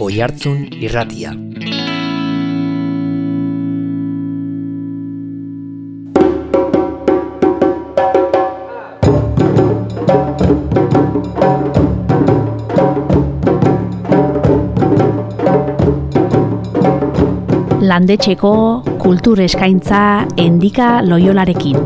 Oihartzun Irratia. Landetxeko kultur eskaintza Endika Loiolarekin.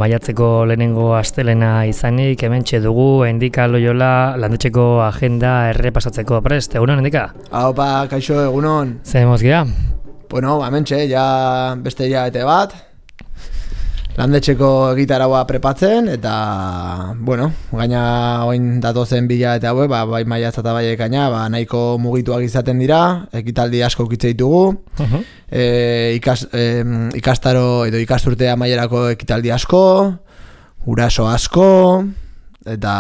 Maiatzeko lehenengo astelena izanik, hementxe dugu Endika Loiola landetxeko agenda errepasatzeko prest. Egunon, Endika? Haupa, kaixo, egunon. Zer mozgia? Bueno, hementxe, ja beste hilabete bat. Landetxeko egitaraua prepatzen, eta, bueno, gaina oin datozen bila eta hauek, bai maiatza eta bai ekaina, nahiko mugituak izaten dira, ekitaldi asko ukitze ditugu, ikastaro edo ikasturte amaierako ekitaldi asko, guraso asko, eta...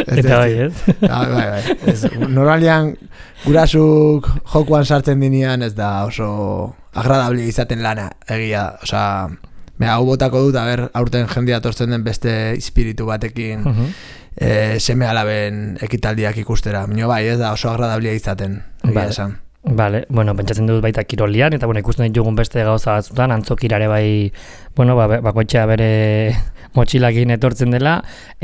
Eta bai, ez? Bai. Normalian gurasuk jokuan sartzen dinean ez da oso agradable izaten lana, egia, osea, hau botako dut, aurten jendea tortzen den beste espiritu batekin seme alaben ekitaldiak ikustera. Mino bai, ez da oso agradable izaten, egia esan. Vale, bueno, pentsatzen dut baita kirolian, eta bueno, ikusten ditugun beste gauza batzutan, antzokirare bai, bueno, bakoitzea bere motxilakin etortzen dela,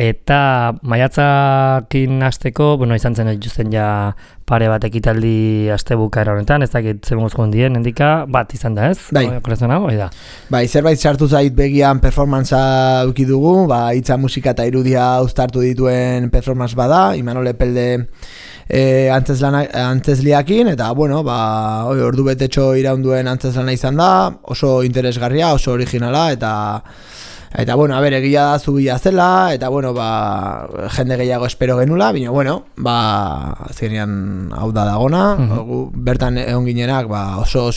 eta maiatzakin hasteko, bueno, izan zen dituzten ja pare bat ekitaldi astebukaera honetan, ez dakit zen guzkun dien, Endika, bat izan da, ez? Bai. Bai, zerbait sartu zait begian performantzaa uki dugu, hitza, musika eta irudia uztartu dituen performance bada, Imanol Epelde antzesliakin, eta bueno, ordu betetxo iraunduen antzeslana izan da, oso interesgarria, oso originala, eta bueno, egia da zubila zela, eta bueno, jende gehiago espero genula, baina bueno, azkenean hau da dagona, bertan egon ginenak, oso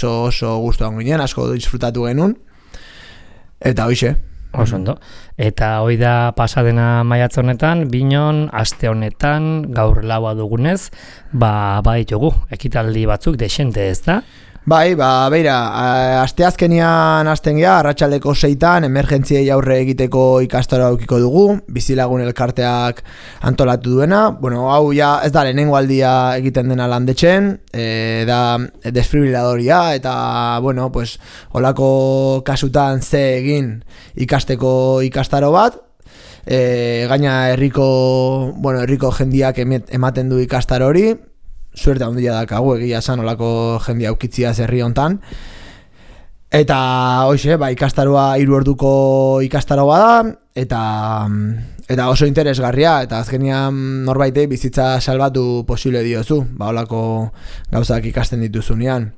gustu egon ginen, asko disfrutatu genuen, eta hoixe. Oso ondo. Eta hoi da pasadena maiatz honetan, Binon aste honetan gaur laua dugunez, ditugu ekitaldi batzuk desente, ez da? Bai, beira, asteazkenian hasten gea, arratsaldeko 6 emergentziei aurre egiteko ikastaro aukiko dugu, bizilagun elkarteak antolatu duena. Bueno, hau ja ez da lehenengo aldia egiten dena landetxen, da desfibriladoria, eta, bueno, pues, holako kasutan ze egin ikasteko ikastaro bat, gaina herriko jendiak ematen du ikastaro hori, suerte handia dakagu egia esan olako jendia aukitzia herri hontan. Eta hoxe, ikastaroa 3 orduko ikastaroa da, eta oso interesgarria, eta azkenean norbaitei bizitza salbatu posible diozu, olako gauzak ikasten dituzunean.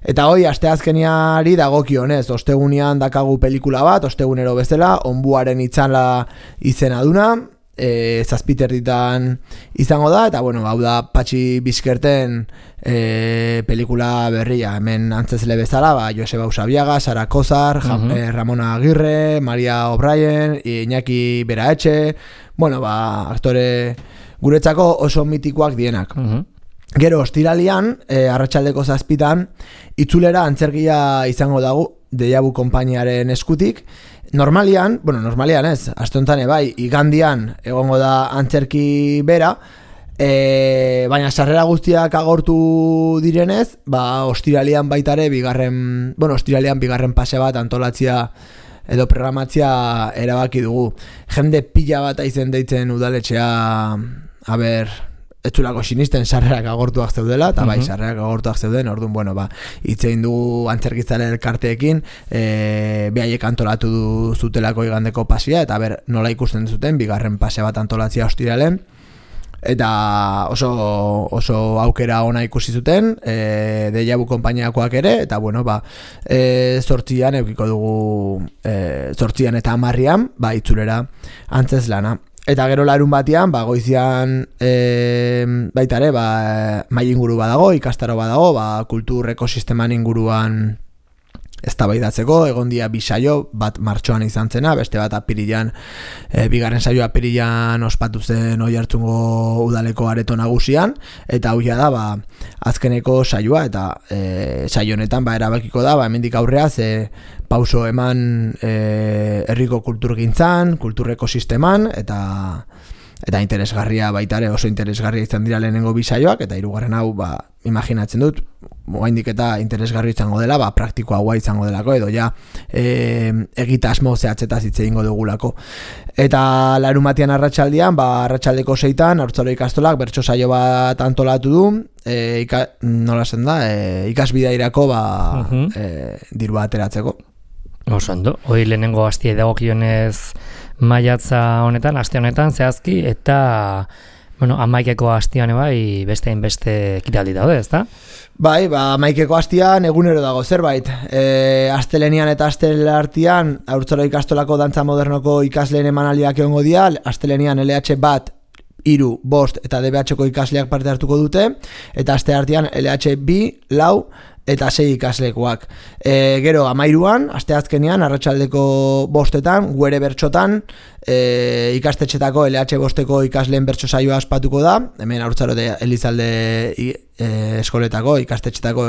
Eta hoi, asteazkeniari dagokionez, ostegunean dakagu pelikula bat, ostegunero bezala, Onbuaren itzala izena duna, 7 izango da, eta bueno, hau da Patxi Bizkerten pelikula berria, hemen antzesle bezala, Joseba Usabiaga, Sara Kozar, Ramona Agirre, Maria O'Brien, Iñaki Beraetxe, bueno, aktore guretzako oso mitikoak dienak. Gero, ostiralian, arratsaldeko 7 itzulera antzerkia izango dago, Deiabu konpainiaren eskutik. Normalian ez, aste honetan igandian egongo da antzerki bera, baina sarrera guztiak agortu direnez, ostiralian baitare bigarren pase bat antolatzia edo programatzia erabaki dugu. Jende pila bat aizen deitzen udaletxea, etzulako sinisten sarrerak agortuak zeudela, eta sarrerak agortuak zeuden, orduan, bueno, hitzein dugu antzerkitzaren elkarteekin, behaiek antolatu zutelako igandeko pasia, eta nola ikusten zuten, bigarren pase bat antolatzia ostiralen, eta oso aukera ona ikusi zuten, Deiabu konpainiakoak ere, eta bueno, 8an eukiko dugu, 8 eta 10 itzulera antzeslana. Eta gero larun batean, goizian baita ere, mahai inguru badago, ikastaro badago, kultur ekosisteman inguruan eztabaidatzeko, egon dia bi saio, bat martxoan izan zena, beste bat apirilan, bigarren saio apirilan ospatu zen Oiartzungo udaleko areto nagusian, eta hau da, azkeneko saioa, eta saio honetan erabakiko da, hemendik aurrea pauso eman herriko kulturgintzan, kultur ekosisteman, eta interesgarria baitare, oso interesgarria izan dira lehenengo bi saioak, eta hirugarren hau imaginatzen dut, oraindik eta interesgarri izango dela, praktikoa izango delako, edo ja egitasmo zehatzetaz hitz egingo dugulako. Eta larunbatean arratsaldean, arratsaldeko 6 Haurtzaro ikastolak bertso saio bat antolatu du, nola esan da, ikasbidairako dirua ateratzeko. Oso ondo, hori lehenengo astia dagokionez maiatza honetan, aste honetan zehazki, eta amaikeko astian beste hainbeste ekitaldi daude, ezta? Bai, amaikeko astian egunero dago zerbait. Astelenian eta astelartian Haurtzaro ikastolako dantza modernoko ikasleen emanaldiak egongo dira, astelenian LH bat 3, 5 eta DBH-ko ikasleak parte hartuko dute, eta asteartean LH 2, 4 eta 6 ikaslekoak. Gero, 13an, asteazkenean, arratsaldeko 5etan, guere bertxotan, ikastetxetako LH 5-eko ikasleen bertso saioa aspatuko da, hemen Haurtzaro Elizalde eskoletako, ikastetxetako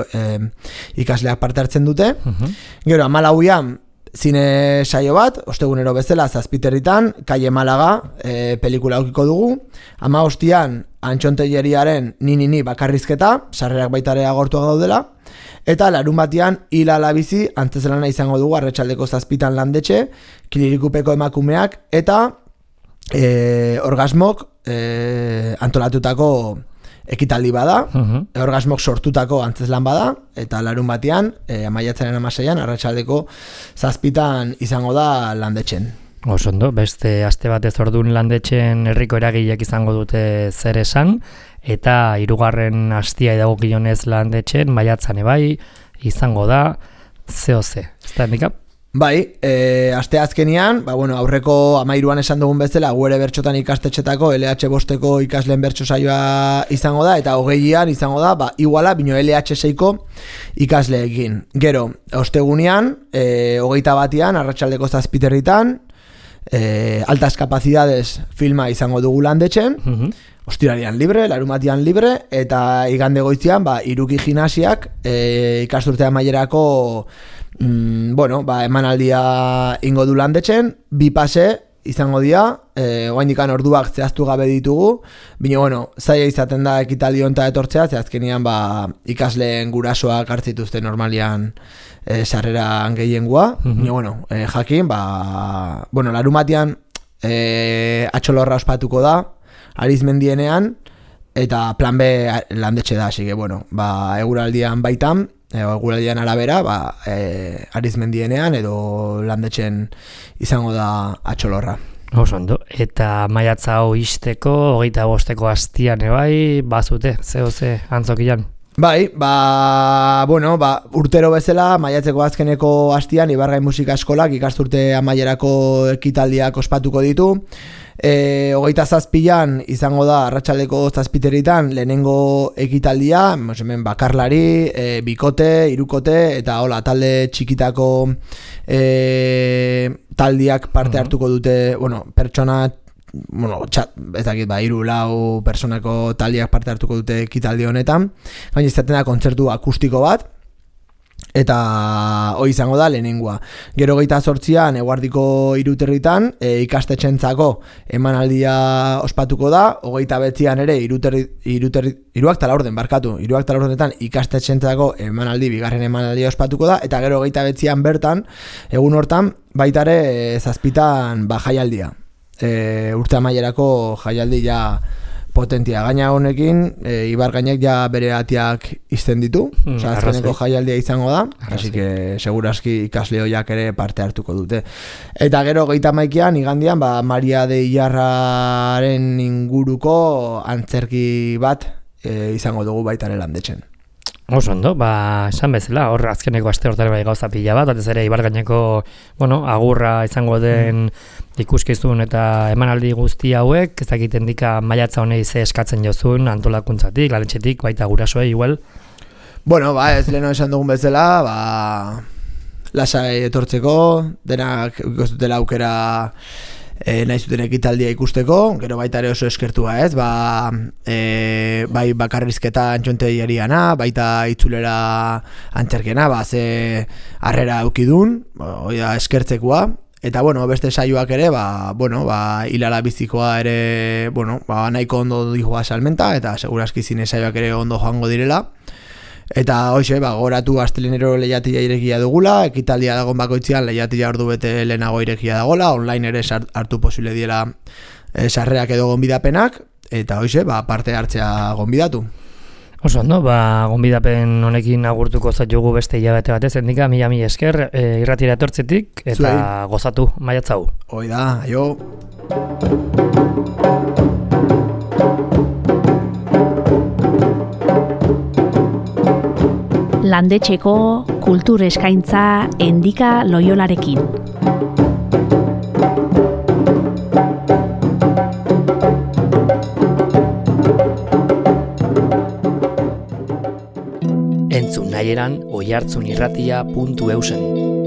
ikasleak parte hartzen dute. Gero, 14an, zine saio bat, ostegunero bezala, Zazpiterritan, Kaie Malaga pelikula aukiko dugu. 15an, Antxontelleriaren Ni bakarrizketa, sarrerak baitare agortuak daudela. Eta larunbatean Hila Labizi antzezelana izango dugu arratsaldeko 7 landetxe, Kilirikupeko emakumeak eta orgasmok antolatutako ekitaldi bada, orgasmok sortutako antzeslan bada, eta larunbatean maiatzaren 16an arratsaldeko 7 izango da landetxen. Osondo, beste aste batez ordun landetxen herriko eragileak izango dute zer esan, eta 3. astia dagokionez landetxen maiatzan izango da ZOZ. Ezta Nika? Bai, aste azkenean, aurreko 13an esan dugun bezala, guere bertxotan ikastetxetako LH 5-eko ikasleen bertso saioa izango da, eta 20an izango da, iguala, bino LH 6-ko ikasleekin. Gero, ostegunean, 21an, arratsaldeko 7 altas capacidades filma izango dugu landetxen, ostirarian libre, larunbatean libre, eta igande goizian, Iruki gimnasiak ikasturte amaierako emanaldia ingo du landetxen, 2 pase izango dira, oraindikan orduak zehaztu gabe ditugu, baina zaila izaten da ekitaldi honta etortzea, ze azkenean ikasleen gurasoak hartzituzte normalian sarreran gehiengoa, baina jakin, larunbatean atxolorra ospatuko da, Arizmendienean, eta plan B landetxe da, así que eguraldian baitan, eguraldian arabera, Arizmendienean edo landetxen izango da atxolorra. Osondo, eta maiatza hau izteko, 25-eko astian bazute, ZOZ antzokian? Bai, urtero bezala, maiatzeko azkeneko astian, Ibargain Musika Eskolak ikasturte amaierako ekitaldiak ospatuko ditu. 27an izango da arratsaldeko 7 lehenengo ekitaldia, hemen bakarlari, bikote, hirukote eta talde txikitako taldiak parte hartuko dute, pertsona ez dakit, 3-4 personako taldiak parte hartuko dute ekitaldi honetan, baina izaten da kontzertu akustiko bat, eta hori izango da lehenengoa. Gero 28an eguardiko 3 ikastetxentzako emanaldia ospatuko da, 29an ere 3 ikastetxentzako emanaldi, bigarren emanaldia ospatuko da, eta gero 29an bertan, egun hortan, baitare 7an jaialdia. Urte amaierako jaialdi ja potentia. Gaina honekin, Ibargainek ja bere atiak izten ditu, azkeneko jaialdia izango da, así que seguraski ikasle hoiak ere parte hartuko dute. Eta gero 31an, igandian, Maria de Ilarraren inguruko antzerki bat izango dugu baitare landetxen. Oso ondo, esan bezala, hor azkeneko aste hortare gauza pila bat, batez ere Ibargaineko, agurra izango den ikuskizun eta emanaldi guzti hauek, ez dakiten dika maiatza honei ze eskatzen jozun, antolakuntzatik, landetxetik, baita gurasoei igual. Ez leheno esan dugun bezala, lasai etortzeko, denak ikustutela aukera nahi zuten ekitaldia ikusteko, gero baita ere oso eskertua ez, bai bakarrizketa antxonteiariana, baita itzulera antzerkena, ze harrera eukidun, eskertzekoa, eta beste saioak ere, hilala bizikoa ere, nahiko ondo dihoa salmenta, eta seguraski zine saioak ere ondo joango direla. Eta hoxe, goratu astelenero lehiatia irekia dugula, ekitaldia dagoen bakoitzean lehiatia ordu bete lehenago irekia dagoela, online ere hartu posible diela sarrerak edo gonbidapenak, eta hoxe, parte hartzea gonbidatu. Oso ondo, gonbidapen honekin agurtuko zaitugu beste hilabete batez, endika, mila esker, irratira etortzetik, eta gozatu, maiatzau. Hoi da, aio. Landetxeko kultur eskaintza Endika Loiolarekin. Entzun nahieran oihartzunirratia.eusen.